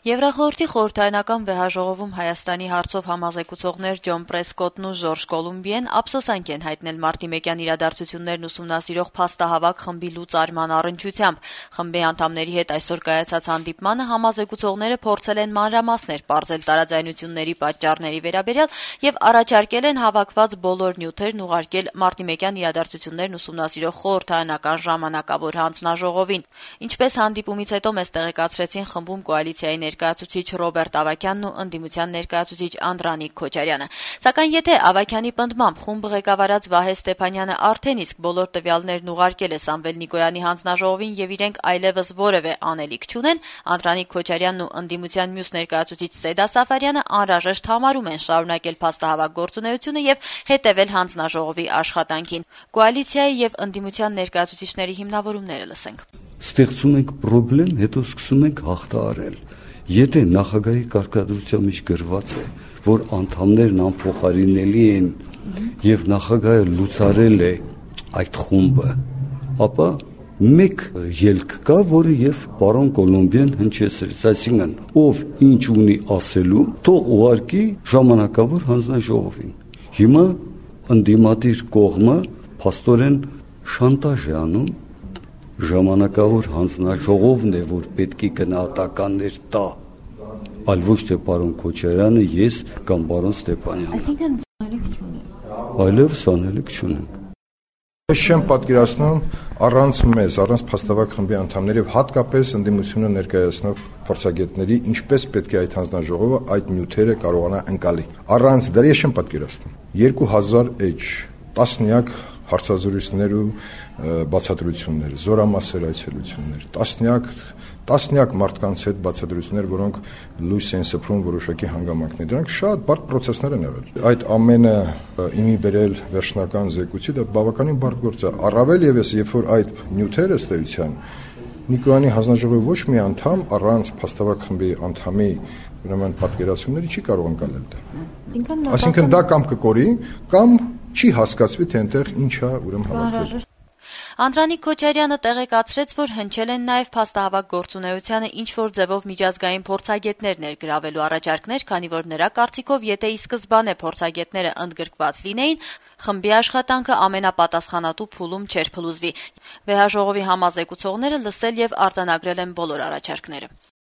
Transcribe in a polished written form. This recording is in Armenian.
Եվրախորհրդի խորհրդարանական վեհաժողովում Հայաստանի հարցով համազեկուցողներ Ջոն Պրեսկոտն ու Ժորժ Կոլումբիեն ափսոսանք են հայտնել մարտիմեկյան իրադարձություններն ուսումնասիրող փաստահավաք խմբի լուծարման առնչությամբ։ Խմբի անդամների հետ այսօր կայացած հանդիպմանը համազեկուցողները փորձել են մանրամասներ պարզել տարաձայնությունների պատճառների վերաբերյալ եւ առաջարկել են հավաքված բոլոր նյութերն ուղարկել մարտիմեկյան իրադարձություններն ուսումնասիրող խորհրդարանական ժամանակավոր հանձնաժողովին։ Ինչպես հանդիպումից հետո մեզ տեղեկացրեցին խմբում կոալիցիայի ներկայացուցիչ Ռոբերտ Ավագյանն ու ընդդիմության ներկայացուցիչ Անդրանիկ Քոչարյանը։ Սակայն եթե Ավագյանի պնդմամբ խումբը ղեկավարած Վահե Ստեփանյանը արդեն իսկ բոլոր տվյալներն ուղարկել է Սամվել Նիկոյանի հանձնաժողովին եւ իրենք այլեւս որեւէ անելիք չունեն, Անդրանիկ Քոչարյանն ու ընդդիմության մյուս ներկայացուցիչ Սեդա Սաֆարյանը անհրաժեշտ համարում են շարունակել փաստահավաք գործունեությունը եւ հետեւել հանձնաժողովի աշխատանքին։ Կոալիցիայի եւ ընդդիմության ներկայացուցիչների հիմնավորումները լսենք։ Ստեղծում ենք խնդրեմ, հետո սկսում ենք հաղթահարել։ Եթե նախագահի կարգադրության մեջ գրված է, որ անդամներն անփոխարինելի են եւ նախագահը լուծարել է այդ խումբը, ապա մեկ ելք կա, որը եւ պարոն Կոլումբիան հնչեցրեց, այսինքն ով ինչ ունի ասելու, թող ուղարկի ժամանակավոր հանձնաժողովին։ Հիմա ընդդիմադիր կողմը փաստորեն շանտաժ է անում, ժամանակավոր հանձնաժողովն է, որ պետք է գնահատականներ տա, այլ ոչ թե պարոն Քոչարյանը, ես կամ պարոն Ստեփանյանը։ Այսինքն անելիք չունենք։ Այլևս անելիք չունենք։ Ես չեմ պատկերացնում առանց մեզ, առանց փաստավակ խմբի անդամների եւ հատկապես ընդդիմությունը ներկայացնող փորձագետների, ինչպես պետք է այդ հանձնաժողովը այդ նյութերը կարողանա ընկալի։ Առանց դրա ես չեմ պատկերացնում։ 2000 էջ տասնյակ հարցազրույցներ ու բացատրություններ, զորամասեր այցելություններ, տասնյակ մարդկանց հետ բացատրություններ, որոնք լույս են սփռում որոշակի հանգամանքներ։ Դրանք շատ բարդ process-ներ են եղել։ Այդ ամենը իմի բերել վերջնական զեկույցի դա բավականին բարդ գործ է։ Առավել եւս, երբ որ այդ նյութերը ըստ էության Նիկոյանի հանձնաժողովի ոչ մի անդամ առանց փաստավակ խմբի անդամի ուրեմն պատկերացումների չի կարող ընկալել դա։ Այսինքն դա կամ կկորի, կամ չի հասկացվի, թե այնտեղ ինչ է ուրեմն հավաքվել։ Անդրանիկ Քոչարյանը տեղեկացրեց, որ հնչել են նաև փաստահավաք գործունեությանը ինչ-որ ձևով միջազգային փորձագետներ ներգրավելու առաջարկներ, քանի որ նրա կարծիքով, եթե ի սկզբանե փորձագետները ընդգրկված լինեին, խմբի աշխատանքը ամենապատասխանատու փուլում չէր փլուզվի։ Վեհաժողովի համազեկուցողները լսել եւ արձանագրել են բոլոր առաջարկները։